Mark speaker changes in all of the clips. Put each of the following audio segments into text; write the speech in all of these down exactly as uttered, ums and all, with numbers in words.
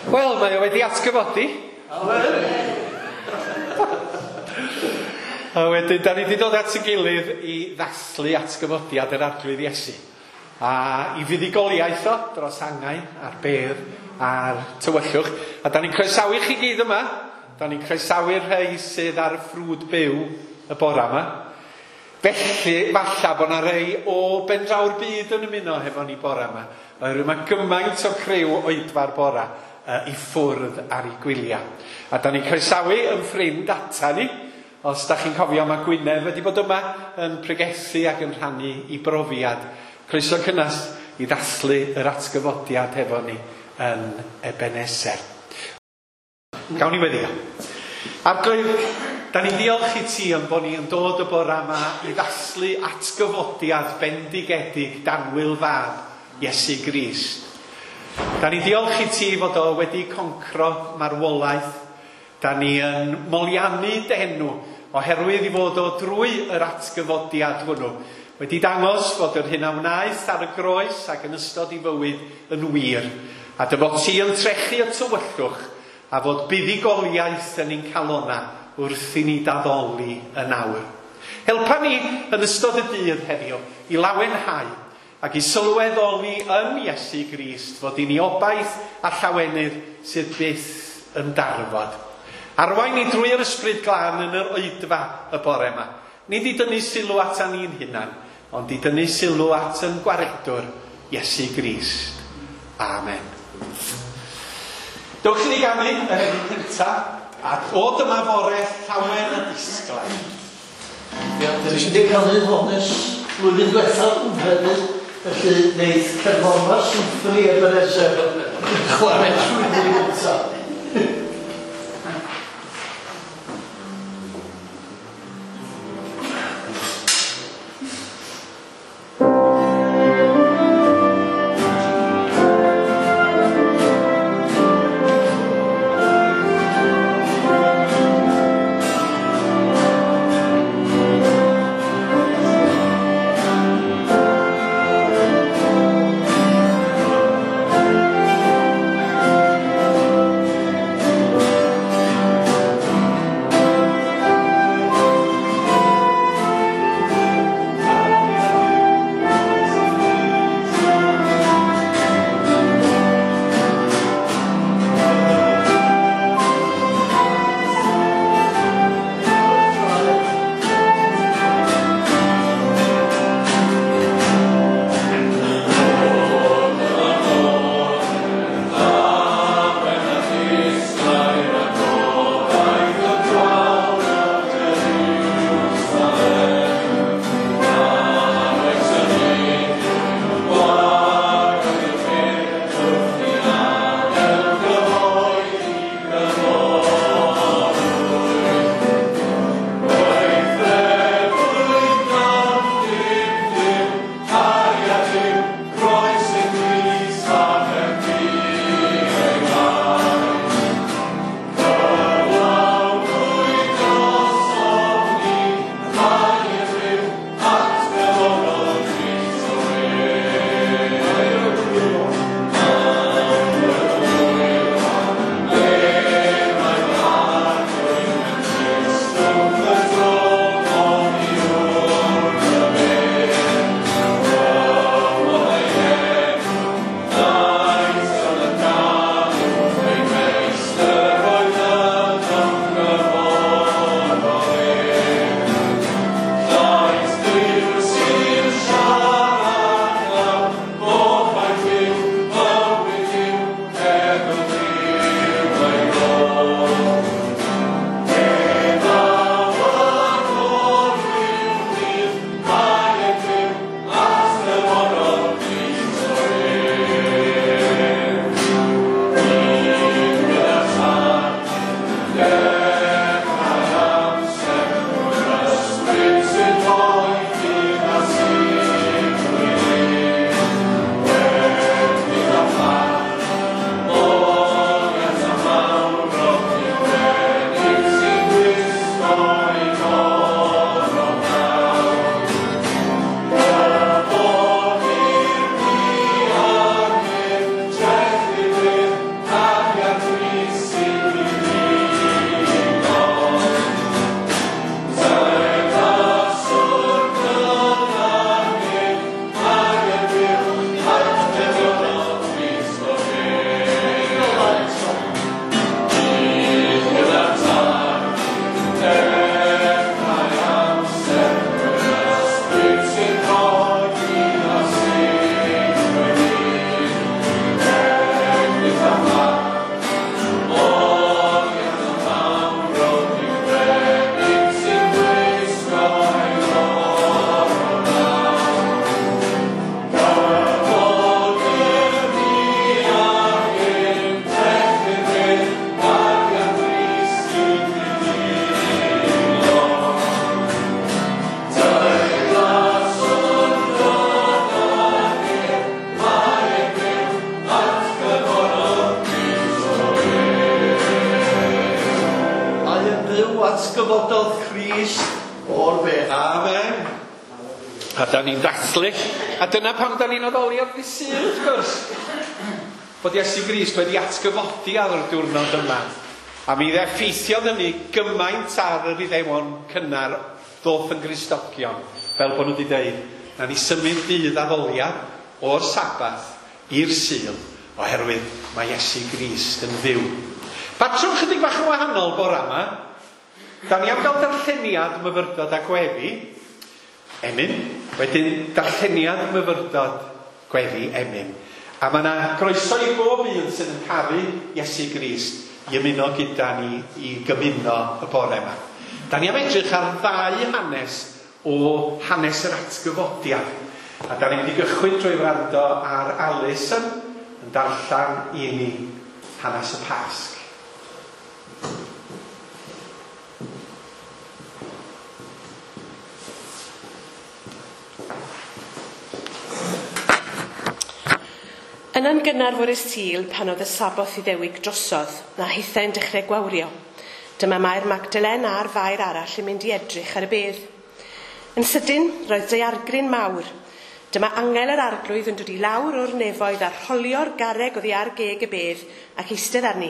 Speaker 1: Wel, mae o wedi atgyfodi. A wedyn, da ni wedi dod at ei gilydd i ddathlu atgyfodiad yr Arglwydd Iesu. A i fuddugoliaeth o dros angau a'r bedd a'r tywyllwch. A da ni'n croesawu chi gyd yma. Da ni'n croesawu'r rhai sydd ar y ffrwd byw y bora yma. Felly, falla bod na rei o bendraw'r byd yn ymuno hefo ni bora yma. Oherwydd mae gymaint o criw oedfa'r bora uh, i ffwrdd ar ei gwyliau. A da ni'n croesawu yn ffrind ata ni. Os da chi'n cofio, mae Gwynedd wedi bod yma yn pregethu ac yn rhannu i brofiad. Croeso cynnas i ddathlu yr atgyfodiad hefo ni yn Ebenezer. Gawn ni weddio. Arglwydd, da ni'n diolch i ti am bod ni yn dod y bora yma i ddathlu atgyfodiad bendigedig danwyl fab Iesu Grist. Da ni'n diolch i ti fod o wedi concro marwolaeth. Da ni yn moliannu dy enw oherwydd i fod o drwy yr atgyfodiad hwnnw wedi dangos fod yr hyn a wnaeth ar y groes ac yn ystod i fywyd yn wir, a dy fod ti yn trechu y tywyllwch a fod buddugoliaeth yn ein calona wrth i ni daddoli yn awr. Helpa ni yn ystod y dydd heddiw i lawenhau ac i sylweddoli yn Iesu Grist fod i ni obaith a llawenydd sydd byth yn darfod. Arwain ni drwy'r Ysbryd Glân yn yr oedfa y bore yma. Nid i dynnu sylw at ni'n hunan, ond i dynnu sylw at yn gwaredwr Iesu Grist. Amen. Dewch i ni ganu yr emyn cyntaf, a o dyma fore llawen a disglair.
Speaker 2: Ia, dwi wedi canu hon ers blwyddyn diwethaf yn credu, felly wneith cerddorfa Symffoni Ebenezer chwarae trwyddi gyntaf.
Speaker 3: Thank you.
Speaker 2: atgyfododd Crist o'r bedd.
Speaker 1: Amen. A da ni'n dathlu. A dyna pam da ni'n addoli ar ddydd Sul, wrth gwrs. Bod Iesu Grist wedi atgyfodi ar y diwrnod yma. A mi effeithiodd hynny gymaint ar yr Iddewon cynnar ddoth yn Gristogion, fel bod nhw wedi dweud, na ni symud dydd addoliad o'r Sabath i'r Sul, oherwydd mae Iesu Grist yn fyw. Patrwm chydig bach yn wahanol bore yma. Da ni am gael darlleniad myfyrdod a gweddi, emyn, wedyn darlleniad myfyrdod gweddi emyn. A mae yna groeso i bob un sydd yn caru Iesu Grist i ymuno gyda ni i gymuno y bore yma. Da ni am edrych ar ddau hanes o hanes yr atgyfodiad. A da ni'n mynd i gychwyn drwy wrando ar Alison yn darllen i ni hanes y Pasg.
Speaker 3: Yna'n gynnar fore Sul, pan oedd y Saboth Iddewig drosodd, na hithau'n dechrau gwawrio. Dyma Mair Magdalen a'r Fair arall yn mynd i edrych ar y bedd. Yn sydyn, roedd daeargryn mawr. Dyma angel yr arglwydd yn dod i lawr o'r nefoedd a rholio'r garreg oddi ar geg y bedd ac eistedd arni.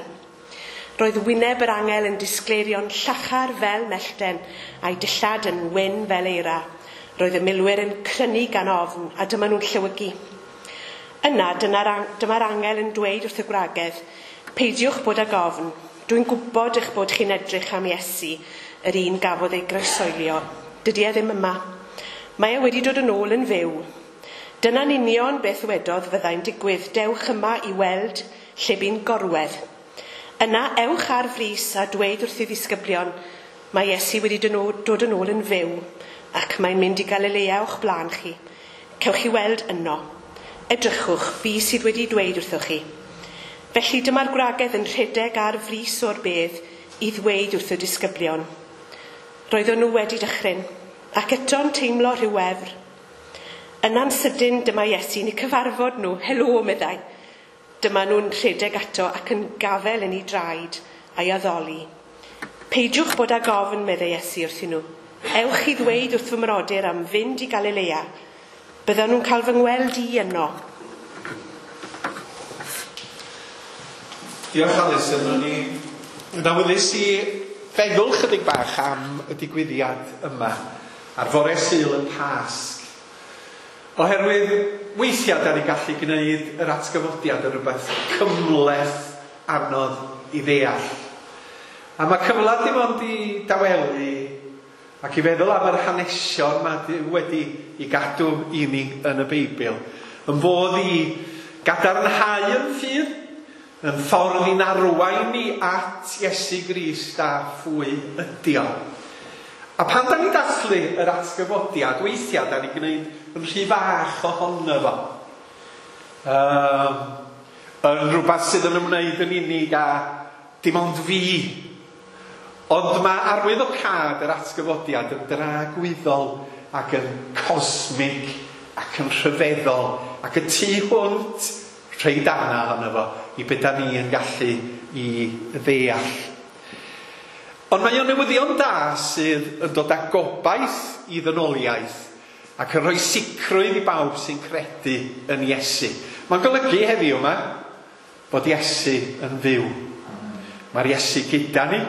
Speaker 3: Roedd wyneb yr angel yn disgleirio'n llachar fel mellten a'i dillad yn wyn fel eira. Roedd y milwyr yn crynu gan ofn a dyma nhw'n llewygu. Yna, dyma'r angel yn dweud wrth y gwragedd, peidiwch bod ag ofn, dwi'n gwybod eich bod chi'n edrych am Iesu, yr un gafodd ei groeshoelio. Dydy e ddim yma. Mae e wedi dod yn ôl yn fyw. Dyna'n union beth wedodd fyddai'n digwydd. Dewch yma i weld lle bu'n gorwedd. Yna, ewch ar frys a dweud wrth ei ddisgyblion, mae Iesu wedi dod yn ôl yn fyw, ac mae'n mynd i Galilea o'ch blaen chi. Cewch chi weld yno. Edrychwch, fi sydd wedi dweud wrthoch chi. Felly dyma'r gwragedd yn rhedeg ar frys o'r bedd i ddweud wrth y disgyblion. Roedden nhw wedi dychryn, ac eto'n teimlo rhyw wefr. Yna'n sydyn dyma Iesu'n eu cyfarfod nhw, helo, meddai. Dyma nhw'n rhedeg ato ac yn gafel yn ei draed a'i addoli. Peidiwch bod ag ofn, meddai Iesu wrthyn nhw. Ewch i ddweud wrth fy mrodyr am fynd i Galilea. Byddan nhw'n cael fy ngweld i yno.
Speaker 1: Diolch Alison, o'n i yn awyddus i feddwl chydig bach am y digwyddiad yma ar fore Sul y Pasg. Oherwydd weithiau da ni'n gallu gwneud yr atgyfodiad yn rhywbeth cymhleth anodd i ddeall. A mae cyfle dim ond i dawelu ac i feddwl am yr hanesion mae wedi i gadw i ni yn y Beibl. Yn fodd i gadarnhau yn ffydd, yn ffordd i'n arwain ni at Iesu Grist a phwy ydi o. A pan da ni'n dathlu yr atgyfodiad, weithiau da ni'n gwneud yn rhy fach ohono fo. Um, yn rhywbeth sydd yn ymwneud yn unig a dim ond fi. Ond mae arwyddocâd yr atgyfodiad yn dragwyddol ac yn cosmig ac yn rhyfeddol ac y tu hwnt rhei darna ohono fo i be da ni yn gallu i ddeall. Ond mae o'n newyddion da sydd yn dod â gobaith i ddynoliaeth ac yn rhoi sicrwydd i bawb sy'n credu yn Iesu. Mae'n golygu heddiw yma bod Iesu yn fyw. Mae'r Iesu gyda ni.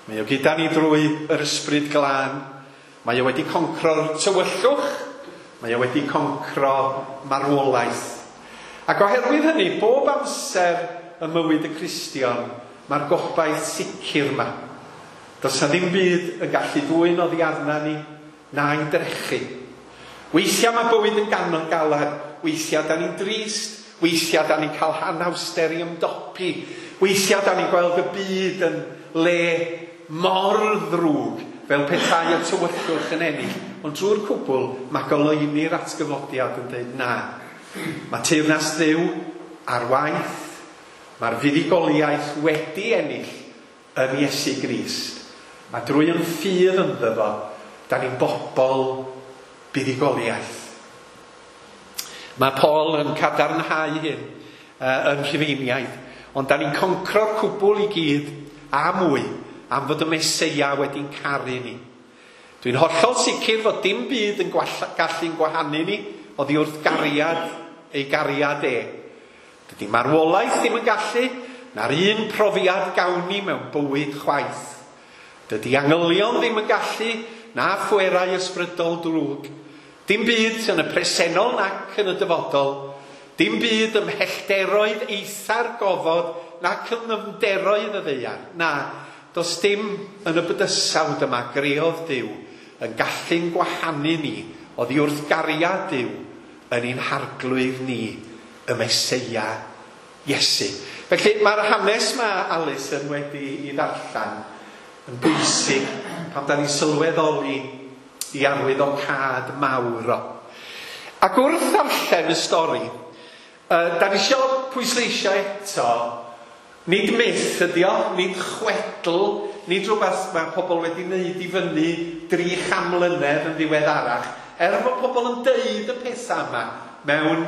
Speaker 1: Mae o gyda ni drwy yr Ysbryd Glân. Mae o wedi concro'r tywyllwch. Mae o wedi concro marwolaeth. Ac oherwydd hynny, bob amser ym mywyd y Cristion, mae'r gobaith sicr yma. Does na ddim byd yn gallu dwyn oddi arna ni, na'i drechu. Weithiau mae bywyd yn ganon galad, weithiau da ni'n drist, weithiau da ni'n cael anhawster i ymdopi, weithiau da ni'n gweld y byd yn le mor ddrwg, fel petai y tywyllwch yn ennill. Ond drwy'r cwbl, mae goleuni'r atgyfodiad yn dweud na. Mae teyrnas Dduw ar waith, mae'r fuddugoliaeth wedi ennill yn Iesu Grist. A drwy yn ffydd ynddo fo, da ni'n bobl buddugoliaeth. Mae Paul yn cadarnhau hyn uh, yn Rhufeiniaid, ond da ni'n concro'r cwbl i gyd a mwy am fod y Meseia wedi'n caru ni. Dwi'n hollol sicr fod dim byd yn gallu'n gwahanu ni oddi wrth gariad ei gariad e. Dydy marwolaeth ddim yn gallu, na'r un profiad gawn ni mewn bywyd chwaith. Dydy angylion ddim yn gallu, na phwerau ysbrydol drwg. Dim byd yn y presennol nac yn y dyfodol. Dim byd ym mhellteroedd eitha'r gofod nac yn nyfnderoedd y ddaear. Na, does dim yn y bydysawd yma greodd Duw yn gallu'n gwahanu ni oddi wrth gariad Duw yn ein harglwydd ni, y Meseia Iesu. Felly mae'r hanes mae Alison wedi i ddarllen yn bwysig pan da ni'n sylweddoli i arwyddocâd mawr o. Ac wrth ddarllen y stori, uh, da ni isio pwysleisio eto, nid myth ydi o, nid chwedl, nid rhywbeth mae pobl wedi wneud i fyny dri chan mlynedd yn ddiweddarach, er bod pobl yn deud y pethau yma mewn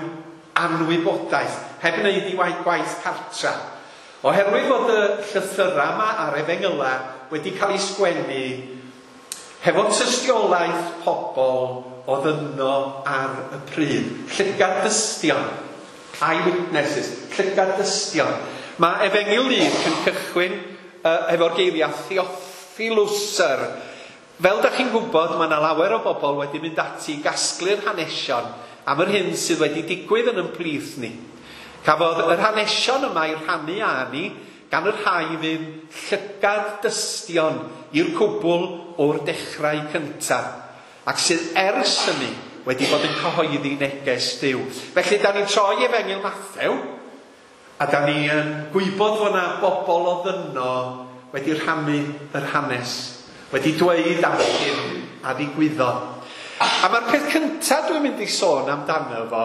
Speaker 1: anwybodaeth, heb wneud i waith gwaith cartra. Oherwydd fod y llythyrau yma a'r efengyla wedi cael ei sgwennu hefo tystiolaeth pobl oedd yno ar y pryd. Llygad dystion, eyewitnesses, llygad dystion. Mae Efengyl Luc yn cychwyn uh, efo'r geiriau Theophilus. Fel da chi'n gwybod, mae yna lawer o bobl wedi mynd ati i gasglu'r hanesion am yr hyn sydd wedi digwydd yn ymplith ni. Cafodd yr hanesion yma i'w rhannu â ni gan yr rhai fydd llygad dystion i'r cwbl o'r dechrau cyntaf, ac sydd ers hynny wedi bod yn cyhoeddi neges Duw. Felly, da ni'n troi Efengyl Mathew, a da ni yn gwybod fod yna bobl oedd yno wedi rhannu yr hanes, wedi dweud am hyn a ddigwyddodd. A mae'r peth cyntaf dwi'n mynd i sôn amdano fo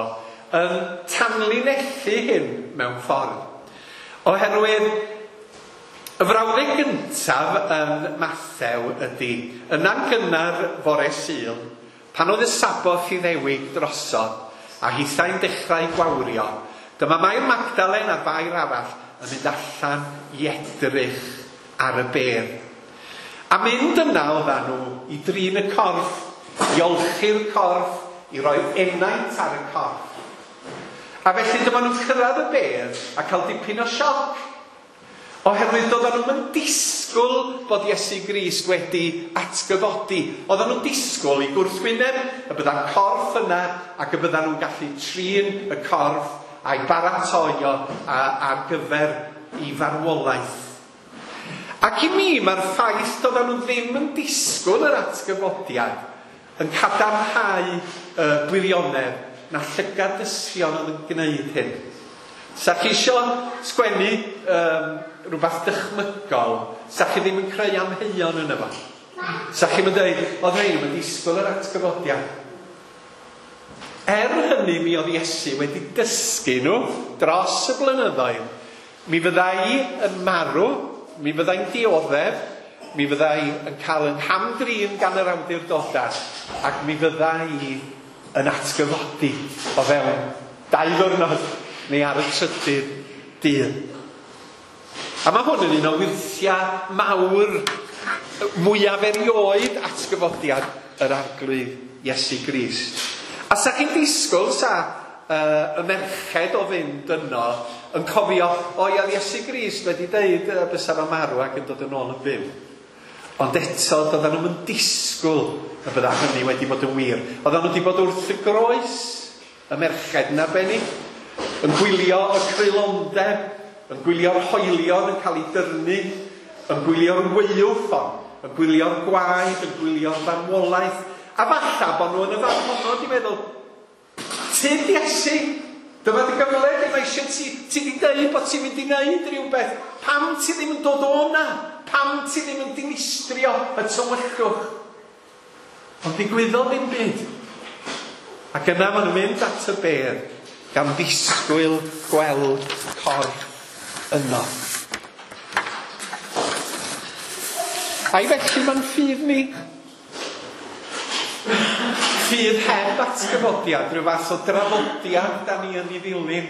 Speaker 1: yn tanlinellu hyn mewn ffordd. Oherwydd y frawddeg gyntaf yn Mathew ydy, yna'n gynnar fore Sul, pan oedd y Saboth Iddewig drosodd, a hithau'n dechrau gwawrio, dyma Mair Magdalen a'r Fair arall yn mynd allan i edrych ar y bedd. A mynd yna oeddan nhw i drin y corff, i olchi'r corff, i roi enaint ar y corff. A felly dyma nhw'n cyrraedd y bedd a cael dipyn o sioc. Oherwydd doedden nhw'n disgwyl bod Iesu Grist wedi atgyfodi. Oedden nhw'n disgwyl i gwrthwyneb y bydda'r corff yna ac y byddan nhw'n gallu trin y corff a'i baratoi o ar gyfer i farwolaeth. Ac i mi, mae'r ffaith doedden nhw ddim yn disgwyl yr atgyfodiad yn cadarnhau y gwirionedd na llygad dystion oedd yn gwneud hyn. Sa chi isio sgwennu um, rhywbeth dychmygol, sa chi ddim yn creu amheuon yna fo. Sa chi'n dweud, oedd rhain yn disgwyl yr atgyfodiad. Er hynny, mi oedd Iesu wedi dysgu nhw dros y blynyddoedd. Mi fyddai yn marw, mi fyddai'n dioddef, mi fyddai yn cael yn hamdrin gan yr awdurdodau, ac mi fyddai yn atgyfodi o fewn dau ddwrnod neu ar y trydydd dydd. A mae hwn yn un o wyrthiau mawr mwyaf erioed atgyfodiad yr Arglwydd Iesu Grist. A sa chi'n disgwyl sa uh, y merched o fynd yno yn cofio, o ia, Iesu Grist wedi deud uh, bysa fo marw ac yn dod yn ôl yn fyw. Ond eto, doedden nhw'n disgwyl y bydda hynny wedi bod yn wir. Oedden nhw wedi bod wrth y groes, y merched yn arbennig, yn gwylio y creulondeb, yn gwylio'r hoelion yn cael ei dyrnu, yn gwylio'r waywffon, yn gwylio'r gwaed, yn gwylio'r farwolaeth. A falle bod nhw yn y fan honno wedi meddwl, tyd Iesu, dyma dy gyfle, mae eisiau ti, ti di deud bod ti'n mynd i wneud rhywbeth. Pam ti ddim yn dod o na? Pam ti ddim yn dinistrio y tywyllwch? Ond ddigwyddodd ddim byd. Ac yna maen nhw'n mynd at y bedd gan ddisgwyl gweld corff yno. A'i felly mae'n ffydd ni? Ffydd heb atgyfodiad, rhyw fath o draddodiad da ni yn ei ddilyn,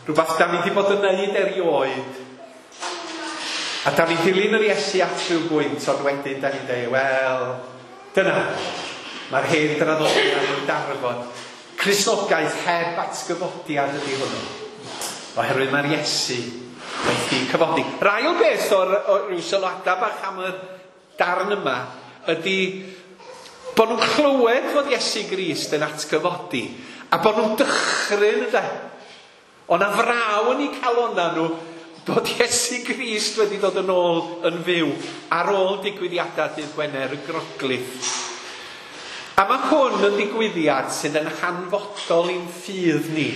Speaker 1: rhywbeth da ni wedi bod yn neud erioed. A da ni'n dilyn yr Iesu at rhyw bwynt, ond wedyn da ni'n dweud, wel, dyna, mae'r hen draddodiad yn darfod. Cristnogaeth heb atgyfodiad ydy hwnnw. Oherwydd mae'r Iesu wedi cyfodi. Yr ail beth o'r, o'r rhyw sylwadau bach am y darn yma ydy bod nhw'n clywed fod Iesu Grist yn atgyfodi a bod nhw'n dychryn ynde. O'na fraw yn eu calonnau nhw bod Iesu Grist wedi dod yn ôl yn fyw ar ôl digwyddiadau dydd Gwener y Groglith. A mae hwn yn ddigwyddiad sydd yn hanfodol i'n ffydd ni.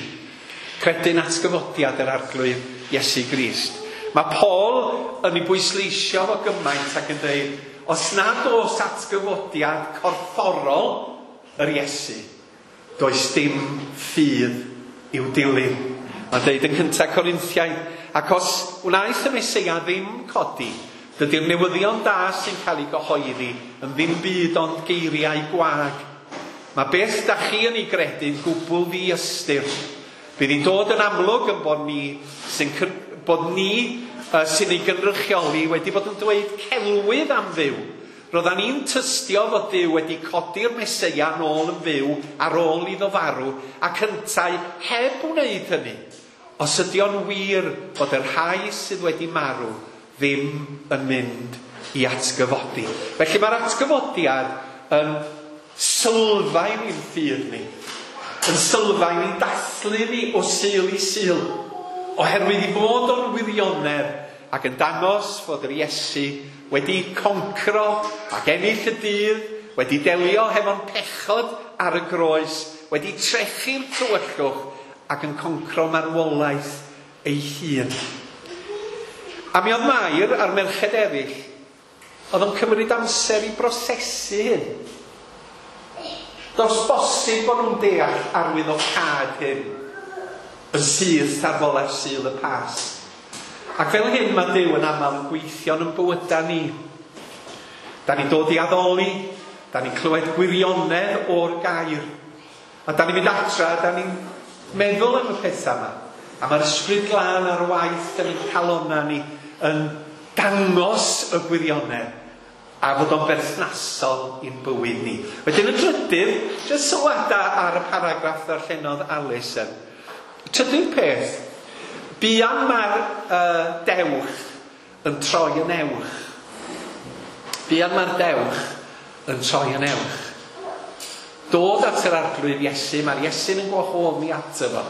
Speaker 1: Credu'n atgyfodiad yr Arglwydd Iesu Grist. Mae Paul yn ei bwysleisio fo gymaint ac yn dweud, os nad oes atgyfodiad corfforol yr Iesu, does dim ffydd i'w dilyn. Mae'n dweud yn cyntaf Corinthiaid, ac os wnaeth y Meseia ddim codi, dydy'r newyddion da sy'n cael ei gyhoeddi yn ddim byd ond geiriau gwag. Mae beth da chi yn ei gredu'n gwbl ddiystyr. Bydd hi'n dod yn amlwg yn bod ni sy'n bod ni uh, sy'n ei gynrychioli wedi bod yn dweud celwydd am Dduw. Roeddan ni'n tystio fod Duw wedi codi'r Meseia nôl yn fyw ar ôl iddo farw ac yntau heb wneud hynny. Os ydy o'n wir bod y rhai sydd wedi marw ddim yn mynd i atgyfodi. Felly mae'r atgyfodiad yn sylfaen i'n ffydd ni. Yn sylfaen i'n dathlu ni o Sul i Sul. Oherwydd i fod o'n wirionedd ac yn dangos fod yr Iesu wedi concro ac ennill y dydd, wedi delio hefo'n pechod ar y groes, wedi trechu'r tywyllwch ac yn concro marwolaeth ei hun. A mi oedd Mair a'r merched eraill, oedd o'n cymryd amser i brosesu hyn. Does bosib bod nhw'n deall arwyddocâd hyn yn syth ar fole'r Sul y Pasg. Ac fel hyn mae Duw yn aml yn gweithio yn bywydau ni. Da ni'n dod i addoli, da ni'n clywed gwirionedd o'r gair. A da ni'n mynd atra, da ni'n meddwl am y pethau yma. A mae'r Ysbryd Glân ar waith yn ein calonnau ni yn dangos y gwirionedd a fod o'n berthnasol i'n bywyd ni. Wedyn y trydydd, jyst sylwadau ar y paragraff ddarllenodd Alison. Trydydd peth, buan mae'r uh, dewch yn troi yn ewch. Buan mae'r dewch yn troi yn ewch. Dod at yr Arglwydd Iesu, mae'r Iesu'n yn gwahodd ni ato fo.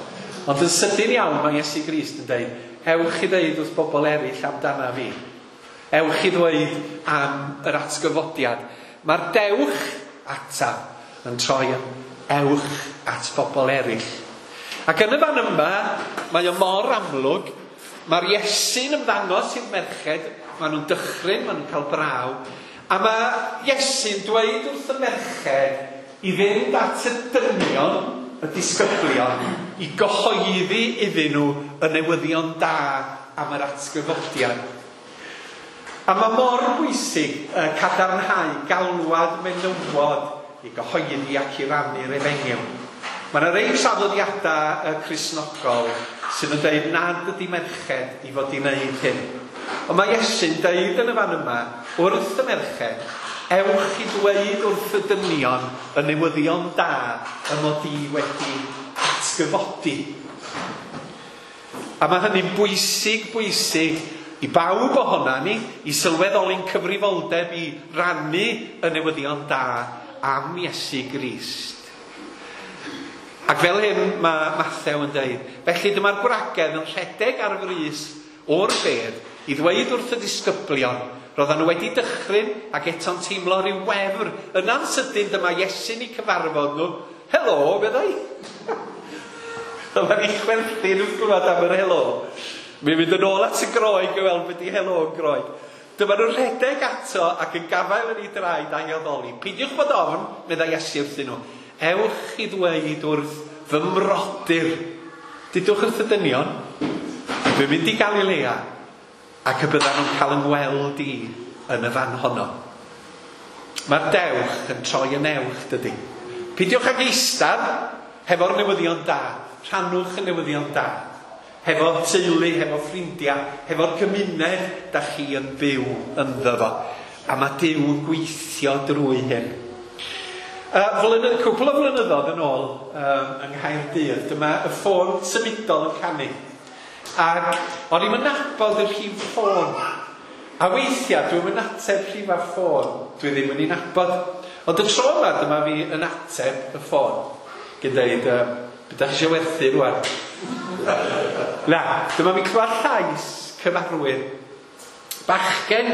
Speaker 1: Ond yn sydyn iawn mae Iesu Grist yn dweud, ewch i ddeud wrth bobl eraill amdana fi. Ewch i ddweud am yr atgyfodiad. Mae'r dewch ata yn troi yn ewch at bobl eraill. Ac yn y fan yma, mae o mor amlwg, mae'r Iesu'n ymddangos i'r merched, maen nhw'n dychryn, maen nhw'n cael braw, a mae Iesu'n dweud wrth y merched i fynd at y dynion, y disgyblion, i gyhoeddi iddyn nhw y newyddion da am yr atgyfodiad. A mae mor bwysig uh, cadarnhau galwad menywod i gyhoeddi ac i rannu'r efengyl. Mae yna rei traddodiadau uh, Cristnogol sydd yn dweud nad ydy merched i fod i wneud hyn. Ond mae Iesu'n dweud yn y fan yma wrth y merched, ewch i ddweud wrth y dynion y newyddion da y mod i wedi atgyfodi. A mae hynny'n bwysig, bwysig i bawb ohona ni, i sylweddoli'n cyfrifoldeb i rannu y newyddion da am Iesu Grist. Ac fel hyn mae Mathew yn dweud, felly dyma'r gwragedd yn rhedeg ar frys o'r bedd i ddweud wrth y disgyblion, roedden nhw wedi dychryn ac eto'n teimlo rhyw wefr. Yna'n sydyn dyma Iesu'n eu cyfarfod nhw. Helo, meddai. Dyma ni chwerthin wrth glywed am yr helo. Mi'n mynd yn ôl at y Groeg i weld beth di helo yn Groeg. Dyma nhw'n rhedeg ato ac yn gafael yn ei draed a'i addoli. Peidiwch bod ofn, meddai Iesu wrthyn nhw. Ewch i ddweud wrth fy mrodyr. Dudwch wrth y dynion, dwi'n mynd i Galilea ac y byddan nhw'n cael yng ngweld i yn y fan honno. Mae'r dewch yn troi yn ewch, dydy. Peidiwch ag eistedd hefo'r newyddion da. Rhannwch y newyddion da. Hefo teulu, hefo ffrindiau, hefo'r gymuned da chi yn byw ynddo fo. A mae Duw yn gweithio drwy hyn. Uh, flynydd, cwpl o flynyddoedd yn ôl um, yng Nghaerdydd, dyma y ffôn symudol yn canu. Ac o'n i'm yn nabod y rhif ffôn. A weithiau dwi'm yn ateb rhif ar ffôn, dwi ddim yn ei nabod. Ond y tro yma dyma fi yn ateb y ffôn. Gan dweud, um, beth ydych chi eisiau werthu rwan? Na, dyma fi clywed llais cyfarwydd. Bachgen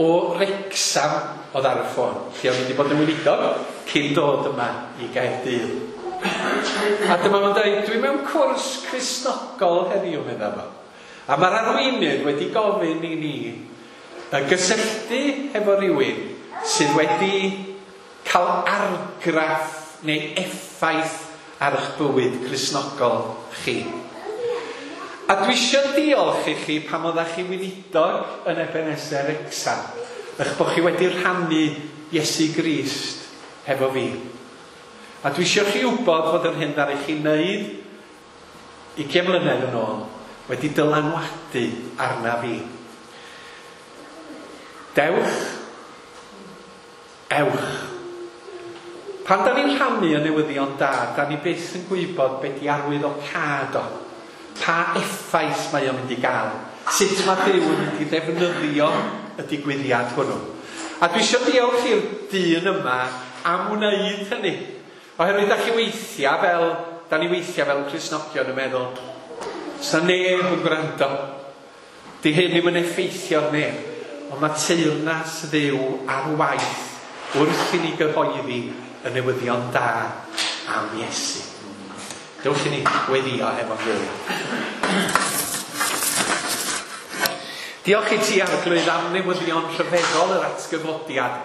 Speaker 1: o Wrecsam oedd ar y ffôn. Lle o'n i wedi bod yn weinidog cyn dod yma i Gaerdydd. A dyma fo'n dweud, dwi mewn cwrs Cristnogol heddiw, medda fo. A mae'r arweinydd wedi gofyn i ni gysylltu hefo rhywun sydd wedi cael argraff neu effaith ar eich bywyd Cristnogol chi. A dwi eisiau diolch i chi pam oeddech chi weinidog yn Ebenezer Wrecsam, eich bod chi wedi rhannu Iesu Grist hefo fi. A dwi eisiau chi wybod fod yr hyn ddaru chi wneud ugain mlynedd yn ôl wedi dylanwadu arna fi. Dewch, ewch. Pan da ni'n rhannu y newyddion da, da ni byth yn gwybod beth di arwyddocâd o. Pa effaith mae o'n mynd i gael. Sut mae Duw yn mynd i ddefnyddio y digwyddiad hwnnw. A dwi eisiau diolch i'r dyn yma am wneud hynny. Oherwydd da chi weithiau fel, da ni weithiau fel Cristnogion yn meddwl, sa neb yn gwrando. Di hyn ddim yn effeithio ar neb. Ond mae teyrnas Dduw ar waith wrth i ni gyhoeddi y newyddion da am Iesu. Dewch i ni weddio hefo'n gilydd. Diolch i ti, Arglwydd, am newyddion rhyfeddol yr atgyfodiad.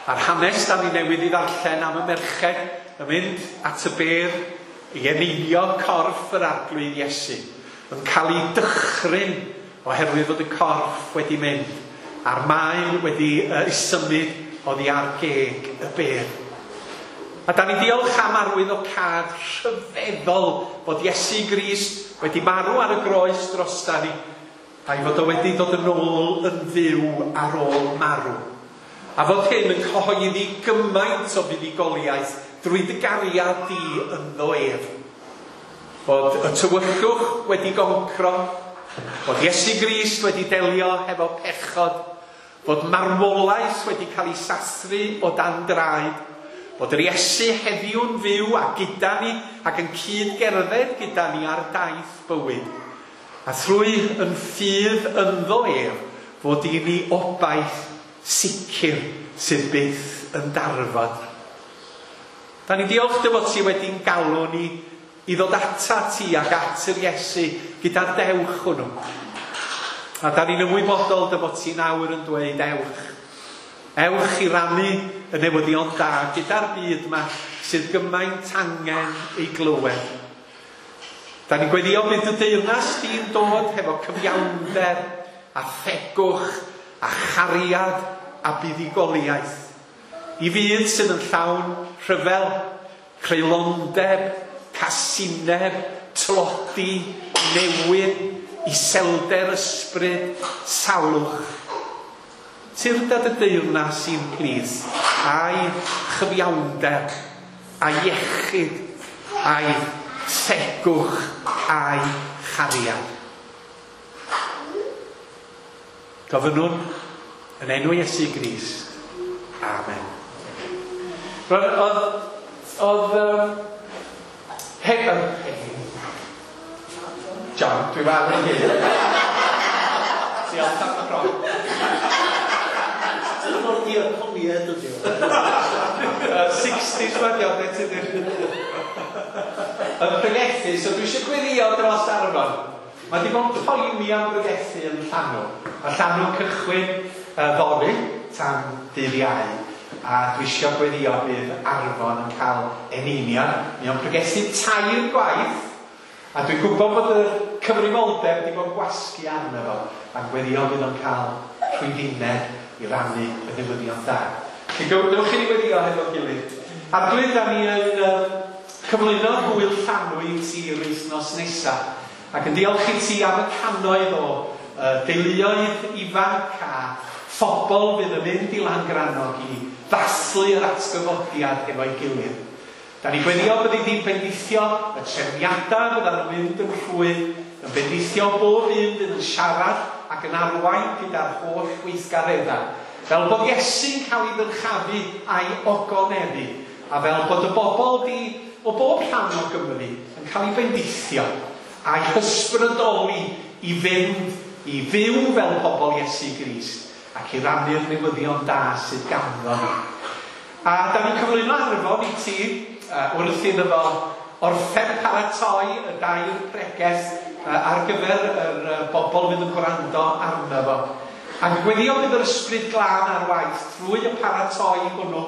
Speaker 1: A'r hanes da ni newydd i ddarllen am y merched yn mynd at y bedd i eneinio corff yr Arglwydd Iesu, yn cael ei dychryn oherwydd fod y corff wedi mynd a'r maen wedi uh, ei symud oddi ar geg y bedd. A da ni diolch am arwyddocâd rhyfeddol fod Iesu Grist wedi marw ar y groes drosta ni, a'i fod o wedi dod yn ôl yn fyw ar ôl marw. A fod hyn yn cyhoeddi gymaint o fuddugoliaeth drwy dy gariad di ynddo ef. Fod y tywyllwch wedi goncro, fod Iesu Grist wedi delio hefo pechod, fod marwolaeth wedi cael ei sathru o dan draed, fod yr Iesu heddiw'n fyw a gyda ni ac yn cyd-gerdded gyda ni ar daith bywyd. A thrwy yn ffydd ynddo ef, fod i ni obaith sicr sydd byth yn darfod. Da ni diolch dy fod ti wedi'n galw ni i ddod ata ti ac at yr Iesu gyda'r dewch hwnnw. A da ni'n ymwybodol dy fod ti nawr yn dweud ewch. Ewch i rannu y newyddion da gyda'r byd yma sydd gymaint angen ei glywed. Da ni'n gweddio bydd y deyrnas di'n dod hefo cyfiawnder a thegwch a chariad a buddugoliaeth. I fyd sydd yn llawn rhyfel, creulondeb, casineb, tlodi, newyn, iselder ysbryd, salwch. Tyrd y deyrnas i'n plith, a'i chyfiawnder, a'i iechyd, a'i thegwch, a'i chariad. Gofynnwn yn enw Iesu Grist. Amen. Roedd, oedd, oedd, um, he, um, John, dwi'n fawr yn hyn. Diolch am y bron.
Speaker 2: Dyna mor diaconiad ydi o.
Speaker 1: sixties mae'n iawn, neu ti ddim. Yn pregethu, so dwi eisiau gweddio dros Arfon. Mae di bod yn poeni am bregethu yn Llanw. Mae Llanw'n cychwyn uh, fory tan dydd Iau. A dwi eisiau gweddio bydd Arfon yn cael eneiniad. Mae o'n pregethu tair gwaith. A dwi'n gwybod bod y cyfrifoldeb wedi bod yn gwasgu arno fo. A'n gweddio bydd o'n cael rhwyddineb i rannu y newyddion da. Dewch i ni weddio hefo'n gilydd. Arglwydd, da ni yn uh, cyflwyno gŵyl Llanw i ti yr wythnos nesaf. Ac yn diolch i ti am y cannoedd o uh, deuluoedd ifanc a phobl fydd yn mynd i Langrannog i ddathlu yr atgyfodiad efo'i gilydd. Da ni gweddio byddi di'n bendithio y trefniadau fyddan nhw'n mynd yn rhwydd, yn bendithio bob un fydd yn siarad ac yn arwain gyda'r holl weithgareddau. Fel bod Iesu'n cael ei ddyrchafu a'i ogoneddu, a fel bod y bobl di o bob rhan o Gymru yn cael ei bendithio a'i hysbrydoli i fynd i fyw fel pobl Iesu Grist ac i rannu'r newyddion da sydd ganddo ni. A da ni'n cyflwyno Arfon i ti uh, wrth iddo fo orffen paratoi y dair pregeth uh, ar gyfer yr uh, bobl fydd yn gwrando arno fo. Ac gweddio bydd yr ysbryd glân ar waith drwy y paratoi hwnnw,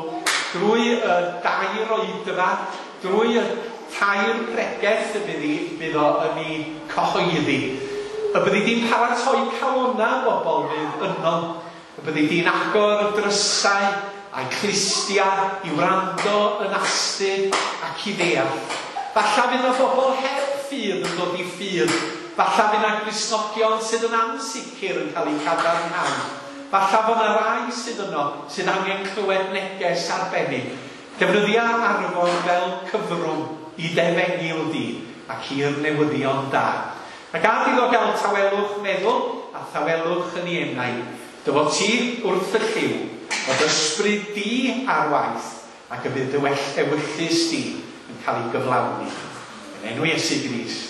Speaker 1: drwy y dair oedfa, drwy y tair pregeth y bydd, i, bydd o yn ei cyhoeddi. Y byddi di'n paratoi calona bobl fydd yno. Y byddi di'n agor y drysau a'i clustiau i wrando yn astud ac i ddeall. Falla fydd yna bobl heb ffydd yn dod i ffydd. Falla fydd yna Gristnogion sydd yn ansicr yn cael eu cadarnhau. Falla fod yna rai sydd yno sydd angen clywed neges arbennig. Defnyddia Arfon fel cyfrwng i defengyl di ac i'r newyddion da. A gad iddo gael tawelwch meddwl a thawelwch yn ei enau. Dy fod ti wrth y lliw, fod ysbryd di ar waith ac y bydd dy well ewyllys di yn cael ei gyflawni. Yn enw Iesu Grist.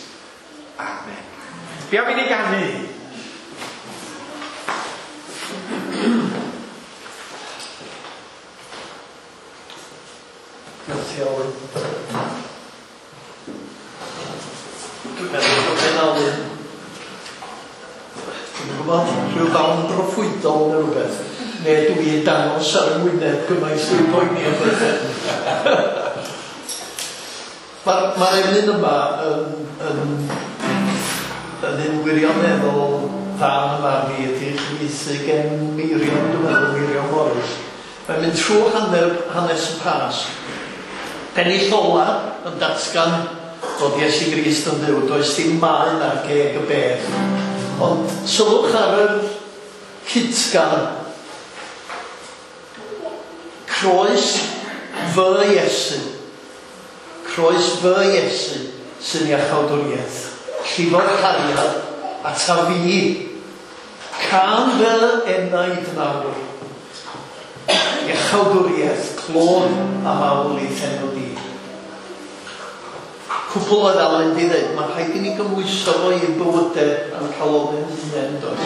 Speaker 1: Amen. Be am i ni ganu?
Speaker 2: Diolch ti, Alun. Dwi'n meddwl bod gen Alun, dwi'n gwybod, rhyw ddawn broffwydol neu rhywbeth, neu dwi'n dangos ar y ngwyneb gymaint dwi'n poeni am bethau. Mae'r ma emyn yma yn, yn, yn un wirioneddol dda yn y marn i, ydy chyfieithu gen Meirion, dwi'n meddwl, Meirion Morris. Mae'n mynd trwy hanner, hanes y Pasg. Pennill ola yn datgan fod Iesu Grist yn Dduw, does dim maen ar geg y bedd. Ond sylwch ar yr cytgan, croes fy Iesu, croes fy Iesu sy'n iachawdwriaeth, llifo'r cariad ata fi, can fy enaid nawr, iachawdwriaeth, clod a mawl i'th enw di. Cwpl oedd Alun di ddeud, mae'n rhaid i ni gymhwyso fo i'n bywydau a'n calonau'n hunain, does?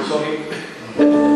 Speaker 1: Sorry.
Speaker 4: Lord,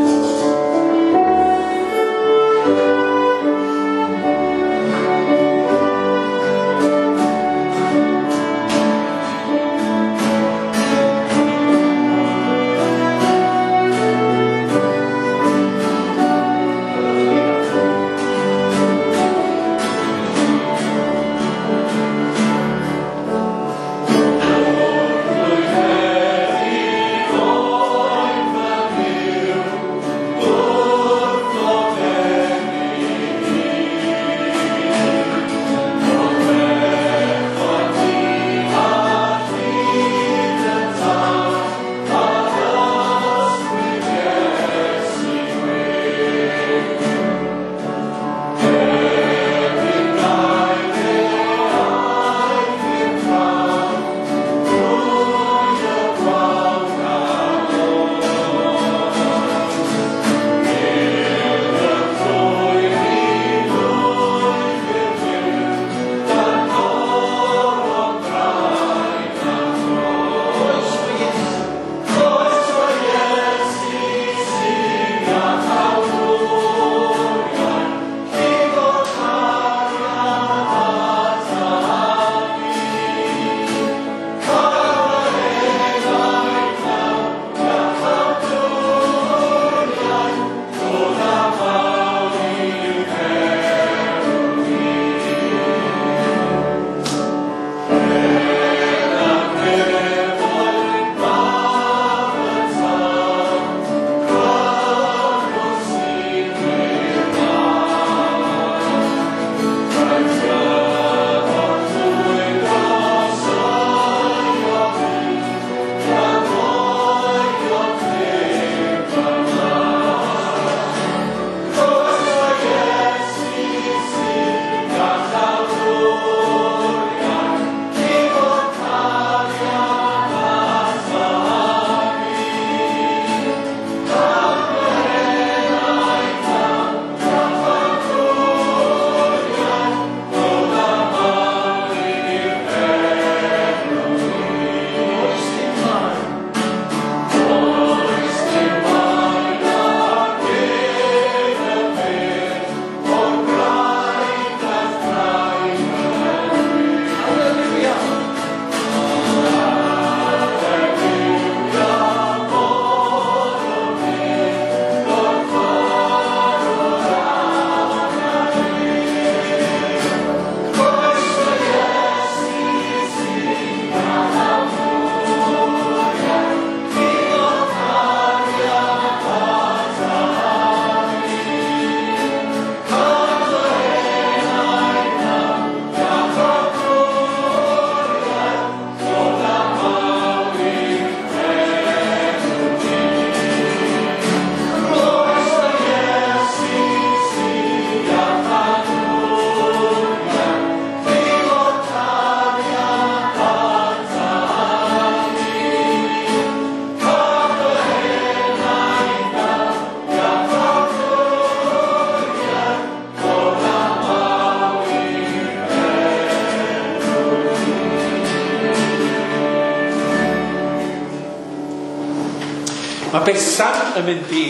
Speaker 1: Mae Betsan yn mynd i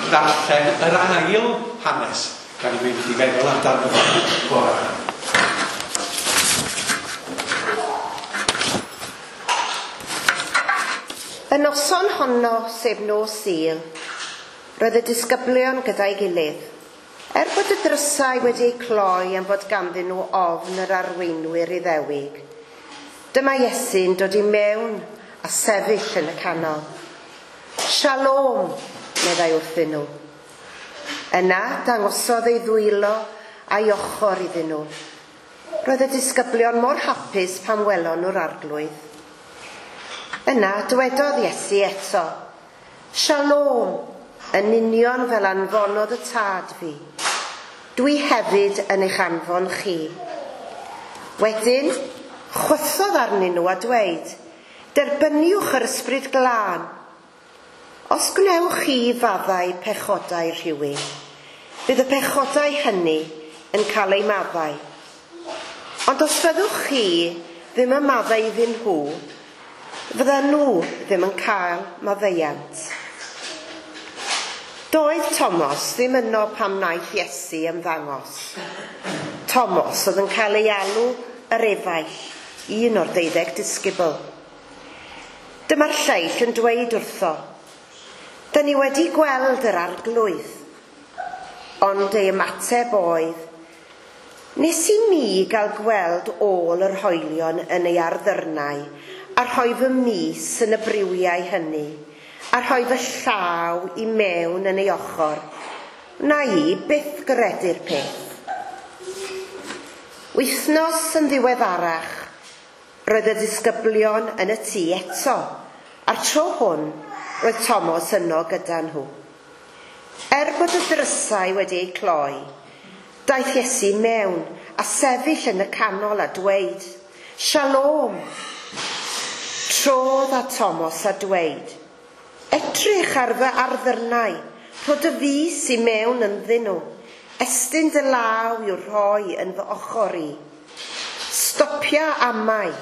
Speaker 1: ddarllen yr ail hanes da ni'n mynd i feddwl amdano fo bore.
Speaker 4: Y noson honno, sef nos Sul, roedd y disgyblion gyda'i gilydd. Er bod y drysau wedi eu cloi am fod ganddyn nhw ofn yr arweinwyr Iddewig, dyma Iesu'n dod i mewn a sefyll yn y canol. Shalom, meddai wrthyn nhw. Yna dangosodd ei ddwylo a'i ochr iddyn nhw. Roedd y disgyblion mor hapus pan welon nhw'r arglwydd. Yna dywedodd Iesu eto, Shalom, yn union fel anfonodd y tad fi. Dwi hefyd yn eich anfon chi. Wedyn, chwythodd arnyn nhw a dweud, derbyniwch yr ysbryd glân. Os gwnewch chi faddau pechodau rhywun, bydd y pechodau hynny yn cael eu maddau. Ond os fyddwch chi ddim yn maddau iddyn nhw, fyddan nhw ddim yn cael maddeuant. Doedd Thomas ddim yno pam wnaeth Iesu ymddangos. Thomas oedd yn cael ei alw yr efaill, un o'r deuddeg disgybl. Dyma'r lleill yn dweud wrtho, "Dyn ni wedi gweld yr arglwydd." Ond ei ymateb oedd, "Nes i mi gael gweld ôl yr hoelion yn ei arddyrnau a rhoi fy mys yn y briwiau hynny, a rhoi fy llaw i mewn yn ei ochr, na i byth gredu'r peth." Wythnos yn ddiweddarach, roedd y disgyblion yn y tŷ eto, a'r tro hwn roedd Thomas yno gyda nhw. Er bod y drysau wedi eu cloi, daeth Iesu mewn a sefyll yn y canol a dweud, "Shalom." Trodd at Thomas a dweud, "Edrych ar fy arddyrnau, rho dy fys i mewn ynddyn nhw, estyn dy law i'w rhoi yn fy ochr i. Stopia amau,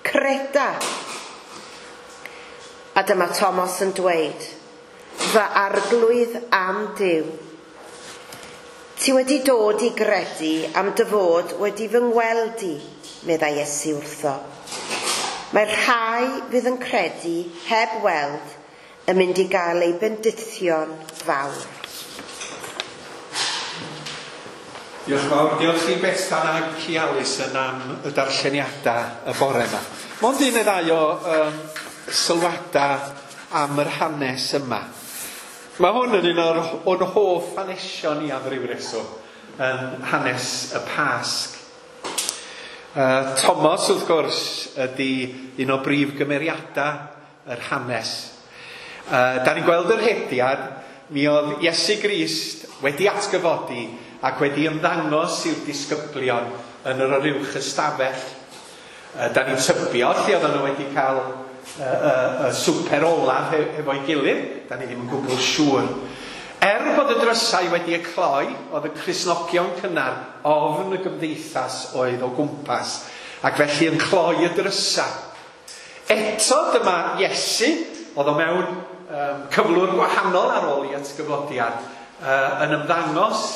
Speaker 4: creda." A dyma Thomas yn dweud, "Fy arglwydd am Duw. Ti wedi dod i gredu am dy fod wedi fy ngweld i," meddai Iesu wrtho. "Mae'r rhai fydd yn credu heb weld yn mynd i gael eu bendithio'n fawr."
Speaker 1: Diolch yn fawr. Diolch i Bethan ac i Alison am y darlleniadau y bore yma. Mond un neu ddau o um, sylwadau am yr hanes yma. Mae hwn yn un o'r, o'n hoff hanesion i am ryw reswm, yn hanes y Pasg. Uh, Thomas, wrth gwrs, ydy un o brif gymeriadau yr hanes. Uh, da ni'n gweld yr hediad, mi oedd Iesu Grist wedi atgyfodi ac wedi ymddangos i'r disgyblion yn yr oruwch ystafell. Uh, da ni'n tybio lle oedden nhw wedi cael y uh, uh, uh, swper olaf he hefo'i gilydd, da ni ddim yn gwbl siŵr. Er bod y drysau wedi eu cloi, oedd y Cristnogion cynnar ofn y gymdeithas oedd o gwmpas, ac felly yn cloi y drysau. Eto dyma Iesu, oedd o mewn um, cyflwr gwahanol ar ôl i atgyfodiad, uh, yn ymddangos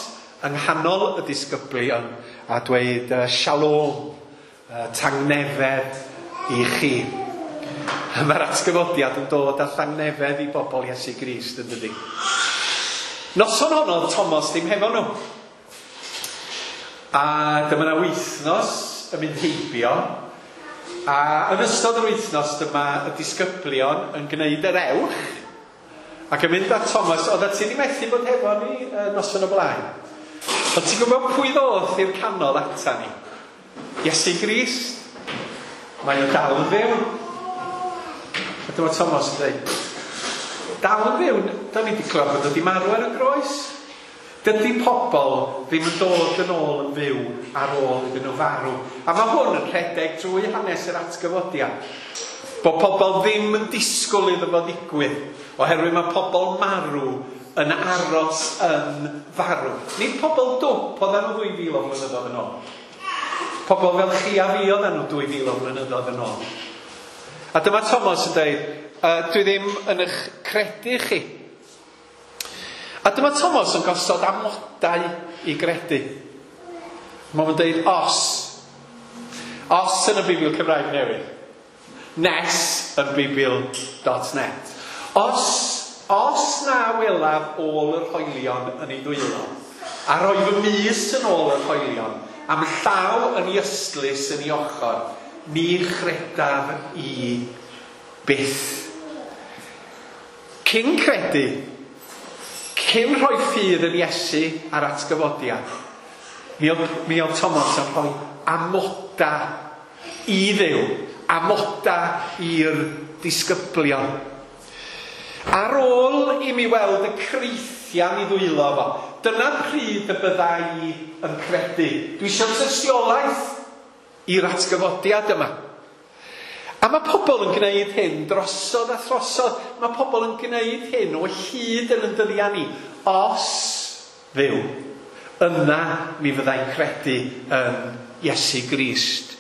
Speaker 1: yng nghanol y disgyblion a dweud uh, shalom, uh, tangnefedd i chi. Mae'r atgyfodiad yn dod â thangnefedd i bobl Iesu Grist, yn dydi? Noson honno, Thomas ddim hefo nhw. A dyma yna wythnos yn mynd heibio. A yn ystod yr wythnos dyma y disgyblion yn gwneud yr ewch ac yn mynd at Thomas, oedd ti ddim methu bod hefo ni noson o blaen. Ond ti'n gwybod pwy ddoth i'r canol ata ni? Iesu Grist. Mae o dal yn fyw. A dyma Thomas yn dweud, dal yn fyw, da ni wedi clywed bod wedi marw ar y groes. Dydy pobl ddim yn dod yn ôl yn fyw ar ôl iddyn nhw farw. A mae hwn yn rhedeg drwy hanes yr atgyfodiad. Bod pobl ddim yn disgwyl iddo fo ddigwydd, oherwydd mae pobl marw yn aros yn farw. Nid pobl dwp oedden nhw dwy fil o flynyddoedd yn ôl. Pobl fel chi a fi oedden nhw dwy fil o flynyddoedd yn ôl. A dyma Thomas yn dweud, uh, dwi ddim yn eich credu chi. A dyma Thomas yn gosod amodau i gredu. Mae'n dweud os. Os yn y Beibl Cymraeg Newydd. Nes yn Beibl dot net. Os, os na welaf ôl yr hoelion yn ei ddwylo, a roi fy mys yn ôl yr hoelion, am llaw yn ei ystlys yn ei ochr, ni chredaf i byth. Cyn credu, cyn rhoi ffydd yn Iesu a'r atgyfodiad, mi oedd, mi oedd Thomas yn rhoi amoda i Dduw, amoda i'r disgyblion. Ar ôl i mi weld y creithian i ddwylo fo, dyna pryd y bydda i yn credu. Dwi eisiau tystiolaeth i'r atgyfodiad yma. A mae pobl yn gwneud hyn drosodd a throsodd. Mae pobl yn gwneud hyn o hyd yn yn dyddiau ni. Os Dduw, yna mi fyddai'n credu yn Iesu Grist.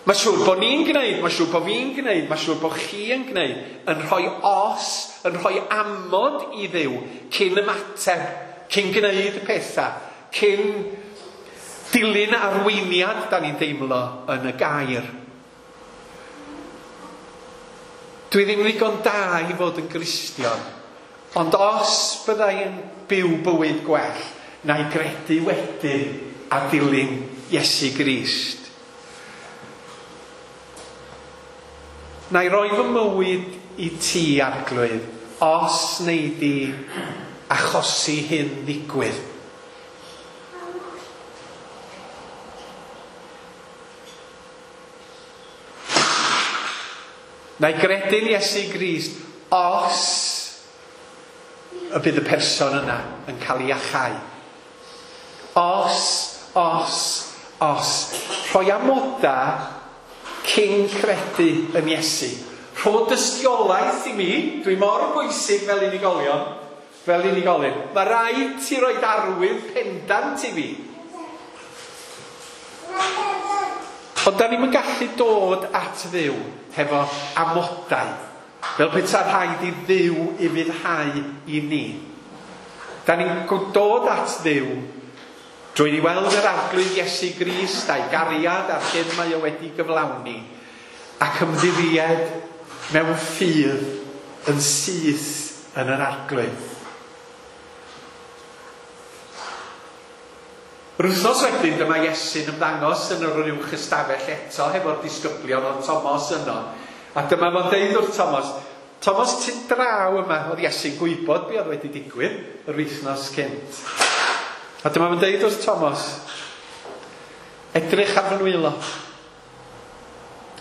Speaker 1: Mae siŵr bod ni'n gwneud, mae siŵr bod fi'n gwneud, mae siŵr bod chi yn gwneud, yn rhoi os, yn rhoi amod i Dduw cyn ymateb, cyn gwneud y pethau, cyn dilyn arweiniad da ni'n deimlo yn y gair. Dwi ddim ddigon da i fod yn Gristion, ond os byddai yn byw bywyd gwell, na i gredu wedyn a dilyn Iesu Grist. Na i roi fy mywyd i ti, Arglwydd, os wnei di achosi hyn ddigwydd. Na i gredu'n Iesu Grist os y bydd y person yna yn cael ei iachau. Os, os, os. Rhoi amoda cyn credu yn Iesu. Rho dystiolaeth i mi, dwi mor bwysig fel unigolion, fel unigolyn. Mae rhaid ti roi arwydd pendant i fi. Ond da ni'm yn gallu dod at Dduw hefo amodau, fel peta rhaid i Dduw ufuddhau i ni. Da ni'n dod at Dduw drwy ni weld yr Arglwydd Iesu Grist a'i gariad a'r hyn mae o wedi gyflawni, ac ymddiried mewn ffydd yn syth yn yr Arglwydd. Yr wythnos wedyn dyma Iesu'n ymddangos yn yr uwch ystafell eto hefo'r disgyblion oedd Thomas yno. A dyma fo'n deud wrth Thomas, Thomas, ti draw yma. Oedd Iesu'n gwybod be oedd wedi digwydd yr wythnos cynt. A dyma fo'n deud wrth Thomas, edrych ar fy nwylo.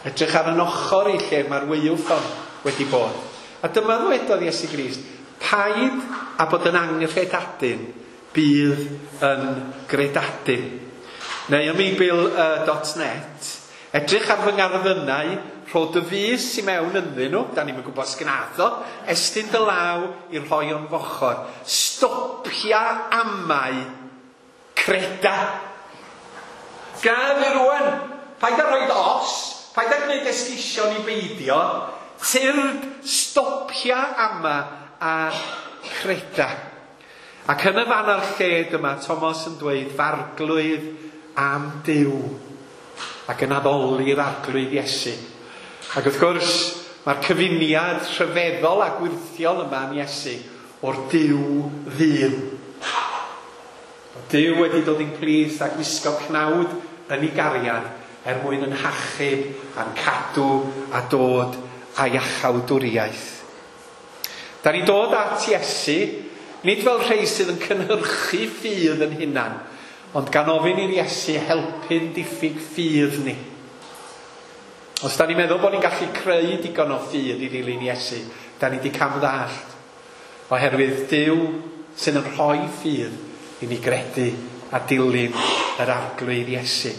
Speaker 1: Edrych ar yn ochr i lle mae'r waywffon wedi bod. A dyma ddwedodd Iesu Grist, paid a bod yn anghredadun, bydd yn gredadun. Neu ym Beibl dot net, edrych ar fy ngarddynau, rho dy fys i mewn ynddyn nhw, da ni'm yn gwybod sgnadd o, estyn dy law i'r rhoi o'n fochor. Stopia amau, creda. Gad i rwan, paid â rhoid os, paid â gwneud esgusion i beidio, tyrd, stopia ama a creda. Ac yn y fan a'r lle dyma Thomas yn dweud, farglwydd am Duw, ac yn addoli'r Arglwydd Iesu. Ac wrth gwrs, mae'r cyfuniad rhyfeddol a gwyrthiol yma yn Iesu o'r Duw ddyn. Duw wedi dod i'n plith a gwisgo cnawd yn ei gariad er mwyn yn hachub a'n cadw a dod a iachawdwriaeth. Da ni dod at Iesu, nid fel rhai sydd yn cynhyrchu ffydd yn hunan, ond gan ofyn i'r Iesu helpu'n diffyg ffydd ni. Os da ni'n meddwl bod ni'n gallu creu digon o ffydd i ddilyn Iesu, da ni di camddallt, oherwydd Duw sydd yn rhoi ffydd i ni gredu a dilyn yr Arglwydd Iesu.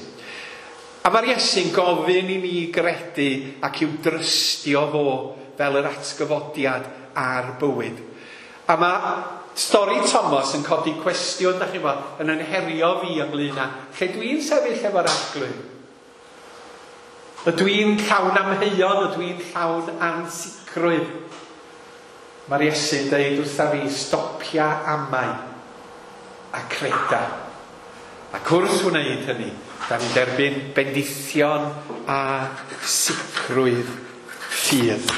Speaker 1: A mae'r Iesu'n gofyn i ni gredu ac i'w drystio fo fel yr atgyfodiad a'r bywyd. A mae stori Thomas yn codi cwestiwn, da chi'n bod, yn ynherio fi ynglyn â lle dwi'n sefyll efo'r Arglwydd. Ydw i'n llawn amheuon, ydw i'n llawn ansicrwydd. Mae'r Iesu'n dweud wrtha fi, stopia amau a creda. Ac wrth wneud hynny, da ni'n derbyn bendithion a sicrwydd ffydd.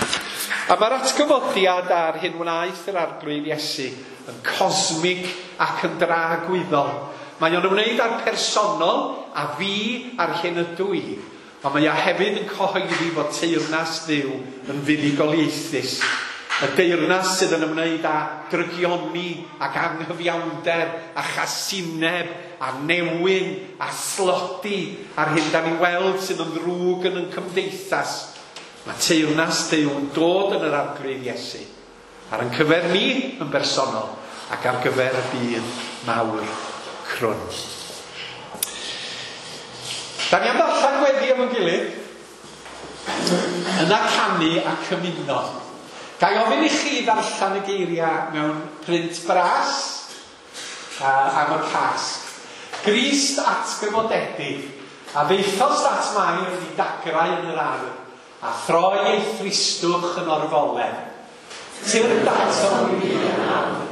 Speaker 1: A mae'r atgyfodiad ar hyn wnaeth yr Arglwydd Iesu yn cosmig ac yn dragwyddol. Mae o'n ymwneud â'r personol a fi a'r hyn ydw i. Ond mae o hefyd yn cyhoeddi fod teyrnas Dduw yn fuddugoliaethus. Y deyrnas sydd yn ymwneud â drygioni ac anghyfiawnder a chasineb a newyn a slodi a'r hyn da ni'n weld sydd yn ddrwg yn ein cymdeithas. Mae teyrnas Duw yn dod yn yr Arglwydd Iesu ar ein cyfer ni yn bersonol ac ar gyfer y byd mawr crwn. Da ni am ddarllen gweddi efo'n gilydd, yna canu a cymuno. Ga i ofyn i chi ddarllen y geiriau mewn print bras uh, am y Pasg. Grist atgyfodedig, a ddeithost at Mair i dagrau yn yr ardd, a throi ei thristwch yn orfoledd. Tyrd atom ni yn awr.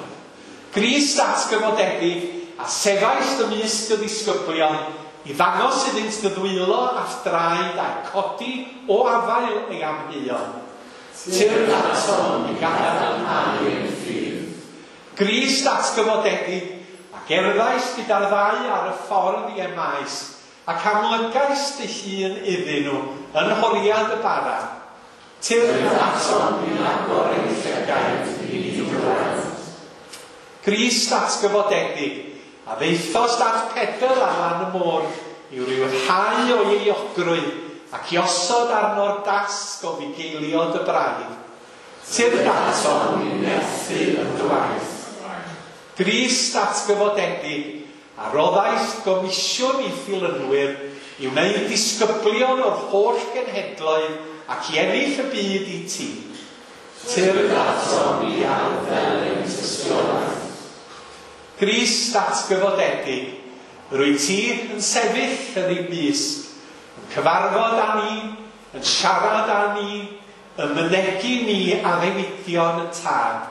Speaker 1: Grist atgyfodedig, a sefaist ymysg y ddisgyblion, i ddangos iddynt dy ddwylo a'th draed a'i codi o afael ei amheuon. Tyrd atom i gadarnhau ein ffydd. Grist atgyfodedig, a gerddaist gyda'r ddau ar y ffordd i Emmaus, ac amlygaist dy hun iddyn nhw yn horiad y bara. Tyrd atom i agor ein llygaid i ni weld. Grist atgyfodedig, a ddeithost at Pedr ar lan y môr i'w ryddhau o'i euogrwydd ac i osod arno'r dasg o fugeilio dy braidd. Tyrd atom i nerthu yn dy waith. Grist atgyfodedig, a roddaist gomisiwn i ddilynwyr i wneud disgyblion o'r holl genhedloedd ac i ennill y byd i ti. Tyrd atom i arddel ein tystiolaeth. Grist atgyfodedig, rwyt ti yn sefyll yn ein mysg, yn cyfarfod â ni, yn siarad â ni, yn mynegi ni addewidion y Tad.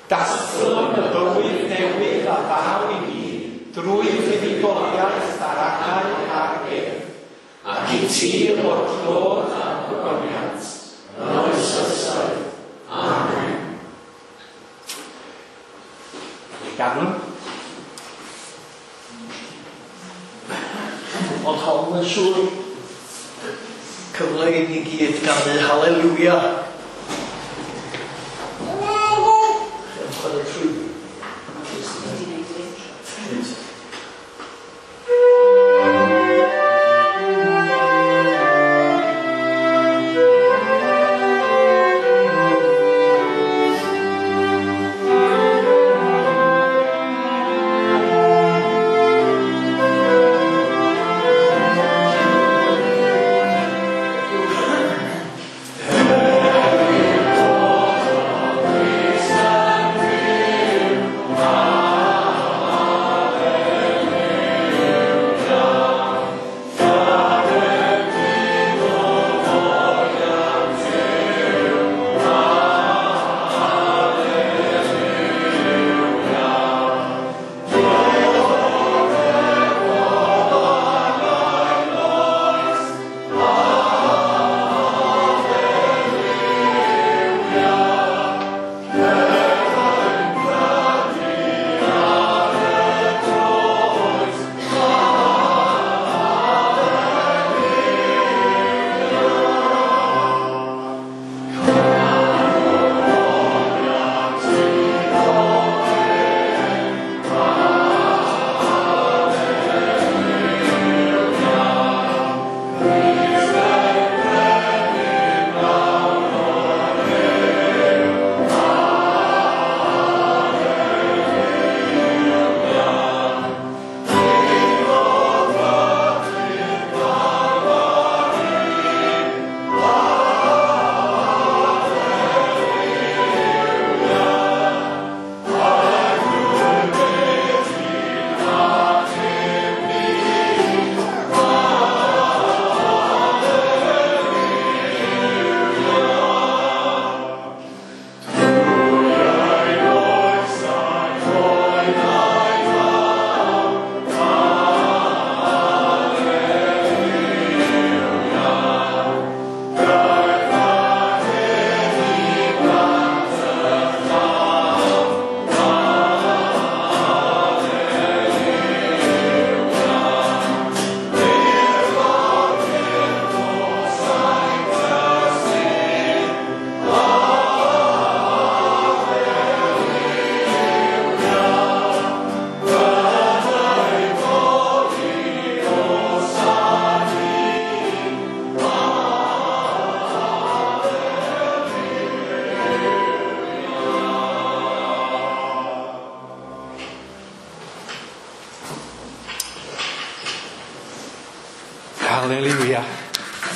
Speaker 1: Dathlwn y bywyd newydd a ddaw i ni drwy fuddugoliaeth ar angau a'r bedd, ac i ti o'r clod a'r gogoniant, yn oes oesoedd. Amen. Ganwn.
Speaker 2: Ond hon yn siŵr cyfle i ni gyd ganu haleluia. Chi'n chwarae trwy.
Speaker 5: Hey!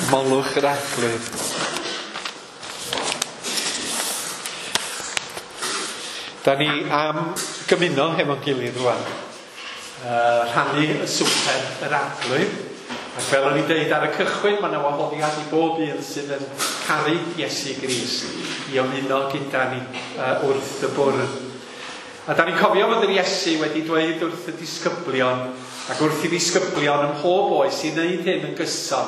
Speaker 1: Molwch yr Arglwydd. Da ni am gymuno hefo'n gilydd rwan. Uh, rhannu y swper yr Arglwydd. Ac fel o'n i'n deud ar y cychwyn, mae yna wahoddiad i bob un sydd yn caru Iesu Grist i ymuno gyda ni uh, wrth y bwrdd. A da ni'n cofio fod yr Iesu wedi dweud wrth y disgyblion ac wrth i ddisgyblion ym mhob oes i wneud hyn yn gyson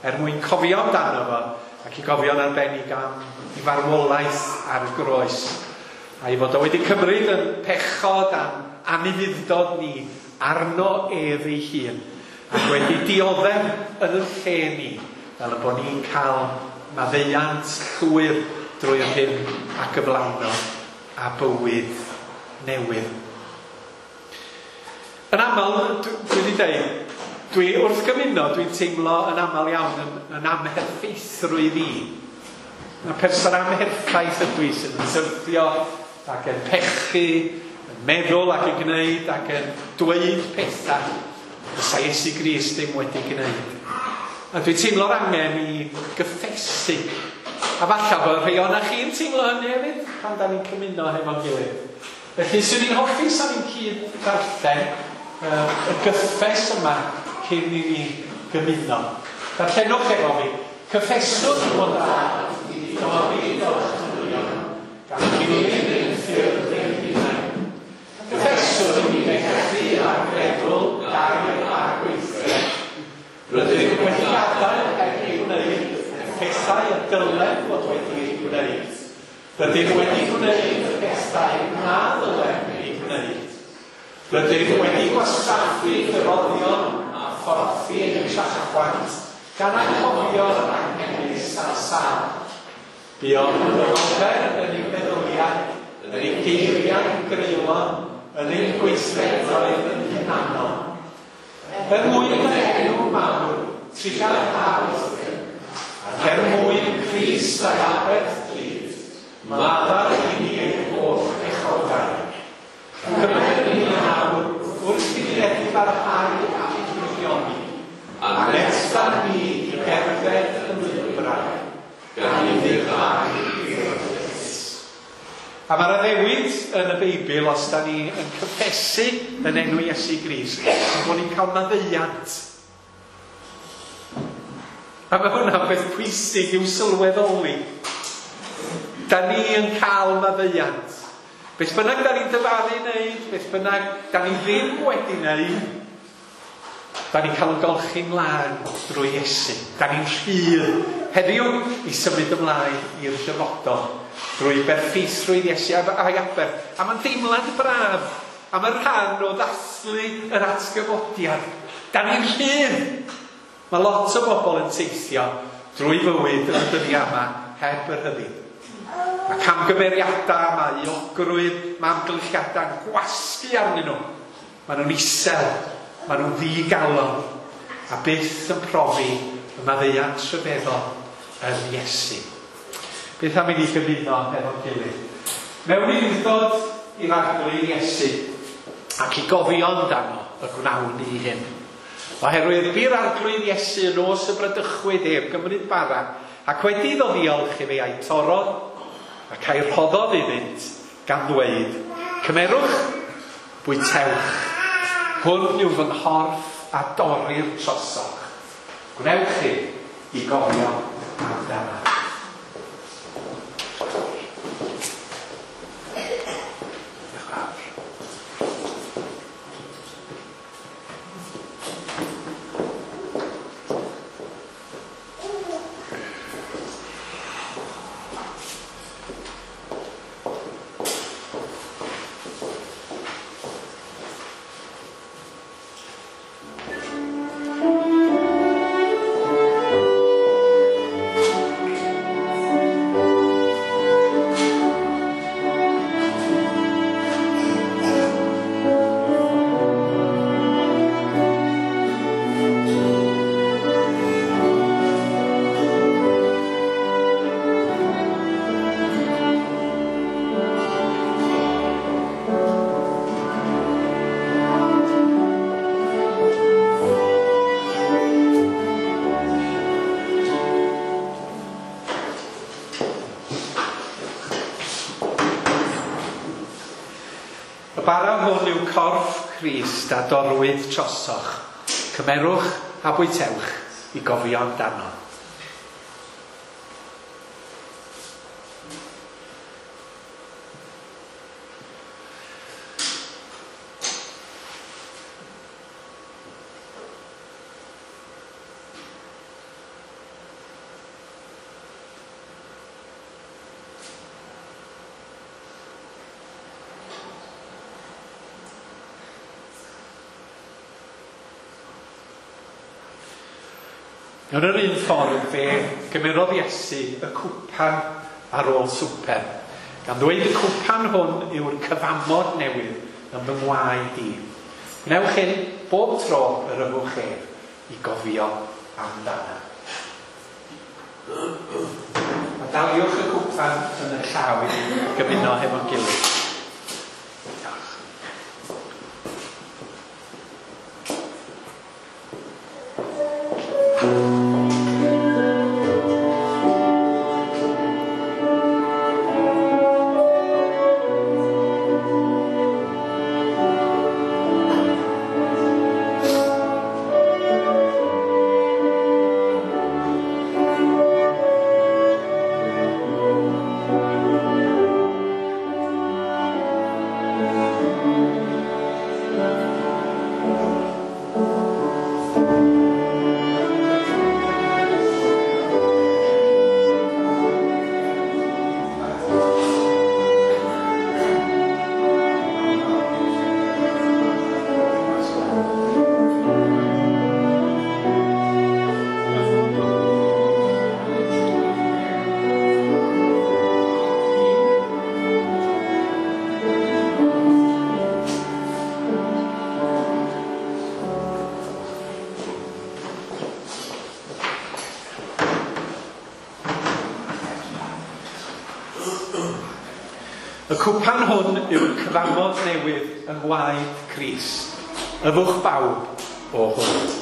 Speaker 1: er mwyn cofio amdano fo ac i gofio'n arbennig am ei farwolaeth ar y groes. A i fod o wedi cymryd yn pechod a'n anufudd-dod ni arno ef ei hun ac wedi dioddef yn y lle ni fel y bod ni'n cael maddeuant llwyr drwy'r hyn a gyflawno a bywyd newydd. Yn aml, dwi wedi dweud, dwi wrth gymuno, dwi'n teimlo yn aml iawn yn, yn amherffeithrwydd i. Mae person amherffaith ydw i sydd yn syrthio ac yn pechu, yn meddwl ac yn gwneud ac yn dweud pethau fysa Iesu Grist ddim wedi gwneud. A dwi'n teimlo'r angen i gyffesu. A falle bod rhai o'na chi'n teimlo hynny hefyd pan da ni'n cymuno hefo'n gilydd. Felly, swn i'n hoffi sa'n ni'n cyd darllen uh, y gyffes yma cyn i ni gymuno. Darllenwch efo fi. Cyffeswch fod rhaid i ni dorri o'ch dynion, gan ddilyn ein ffyrdd ein hunain. Cyffeswch i ni bechu a feddwl, gair a gweithred. Rydym wedi gadael heb ei gwneud y pethau y dylem fod wedi ei gwneud. Rydym wedi gwneud y pethau na ddylem ei gwneud. Rydym wedi gwastraffu dyfoddion a phorthi ein trachwant gan anghofio'r anghenus a'r sâl. Buom yn ofer yn ein meddyliau, yn ein geiriau greulon, yn ein gweithredoedd yn hunanol. Er mwyn dy enw mawr, trugarhau, ac er mwyn Crist a'i aberth drud, maddau i ni ein holl bechodau. Cymer ni nawr wrth i ni edifarhau a'n gwirioni, a nesta ni i gerdded yn lwybrau, gan ufuddhau i'r ewyllys. A mae'r addewid yn y Beibl, os da ni yn cyffesu yn enw Iesu Grist, yn bod ni'n cael maddeuant. A mae hwnna'n beth pwysig i'w sylweddoli. Da ni yn cael maddeuant. Beth bynnag da ni'n dyfaru wneud, beth bynnag da ni ddim wedi wneud, da ni'n cael yn golchi'n lân drwy Iesu. Da ni'n rhydd heddiw i symud ymlaen i'r dyfodol drwy berffeithrwydd Iesu a'i aberth. A mae'n deimlad braf am y rhan o ddathlu yr atgyfodiad. Da ni'n rhydd. Mae lot o bobl yn teithio drwy fywyd yn y dyddiau yma heb yr rhyddid. Mae camgymeriadau, mae euogrwydd, mae amgylchiadau'n gwasgu arnyn nhw. Maen nhw'n isel, maen nhw'n ddigalon, a byth yn profi y maddeuant rhyfeddol yn Iesu. Beth am i ni gymuno hefo'n gilydd? Mewn ufudd-dod i'r Arglwydd Iesu ac i gofio amdano y gwnawn ni hyn. Oherwydd bu'r Arglwydd Iesu yn nos y bradychwyd ef gymryd bara, ac wedi iddo ddiolch i fe a'i torrodd ac a'i rhoddodd iddynt gan ddweud, cymerwch, bwytewch, hwn yw fy nghorff a dorrir trosoch. Gwnewch chi i gofio amdano.
Speaker 5: Thank you.
Speaker 1: Y bara hwn yw corff Crist a dorrwyd trosoch. Cymerwch a bwytewch i gofio amdano. Yn yr un ffordd fe gymerodd Iesu y cwpan ar ôl swper, gan ddweud y cwpan hwn yw'r cyfamod newydd yn fy ngwaed i. Gwnewch hyn bob tro yr yfwch ef i gofio amdano. A daliwch y cwpan yn y llaw i gymuno hefo'n gilydd. Y cwpan hwn yw'r cyfamod newydd yng ngwaed Crist. Yfwch bawb o hwn.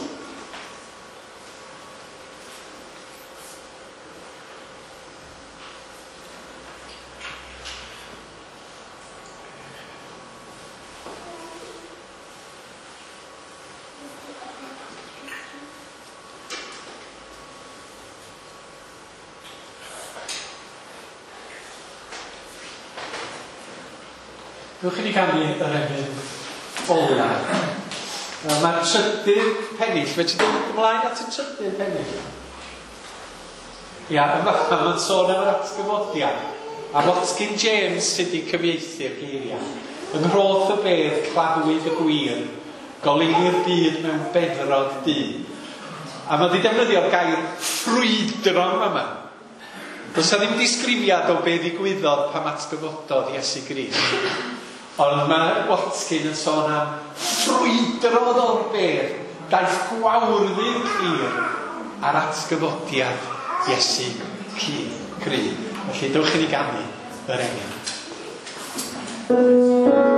Speaker 1: Dewch i ni ganu yr emyn ola. Mae'r trydydd pennill, fe ti dod ymlaen at y trydydd pennill? Ia, yma mae'n sôn am yr atgyfodiad. A Watkin James sydd wedi cyfieithu'r geiriau. Yng nghroth y bedd claddwyd y gwir, goleuni'r byd mewn beddrod du. A mae wedi defnyddio'r gair ffrwydron yma. Does 'na ddim disgrifiad o be ddigwyddodd pan atgyfododd Iesu Grist. Ond mae Watkin yn sôn am ffrwydrodd o'r bedd, daeth gwawrddi'r clir ar atgyfodiad Iesu Crist. Felly dewch i ni ganu yr emyn.
Speaker 5: Thank you.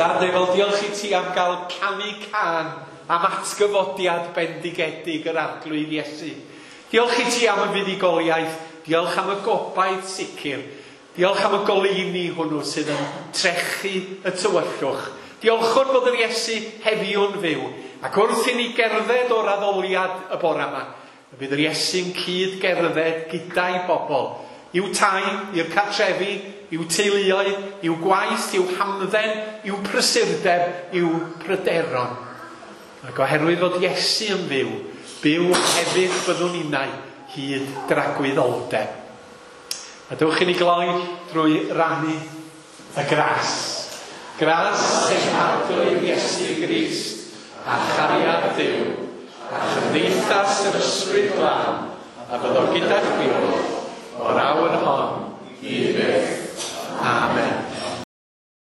Speaker 1: Dad nefol, diolch i ti am gael canu cân am atgyfodiad bendigedig yr Arglwydd Iesu. Diolch i ti am y fuddugoliaeth, diolch am y gobaith sicr, diolch am y goleuni hwnnw sydd yn trechu y tywyllwch. Diolchwn bod yr Iesu heddiw'n fyw, ac wrth i ni gerdded o'r addoliad y bore yma, y bydd yr Iesu'n cyd gerdded gyda'i bobl, i'w tai, i'r cartrefi, i'w teuluoedd, i'w gwaith, i'w hamdden, i'w prysurdeb, i'w pryderon. Ac oherwydd fod Iesu yn fyw, byw hefyd byddwn ninnau hyd dragwyddoldeb. A dewch i ni gloi drwy rannu y gras. Gras ein Arglwydd Iesu Grist, a chariad Duw, a chymdeithas yr Ysbryd Glân, a fyddo gyda chwi oll,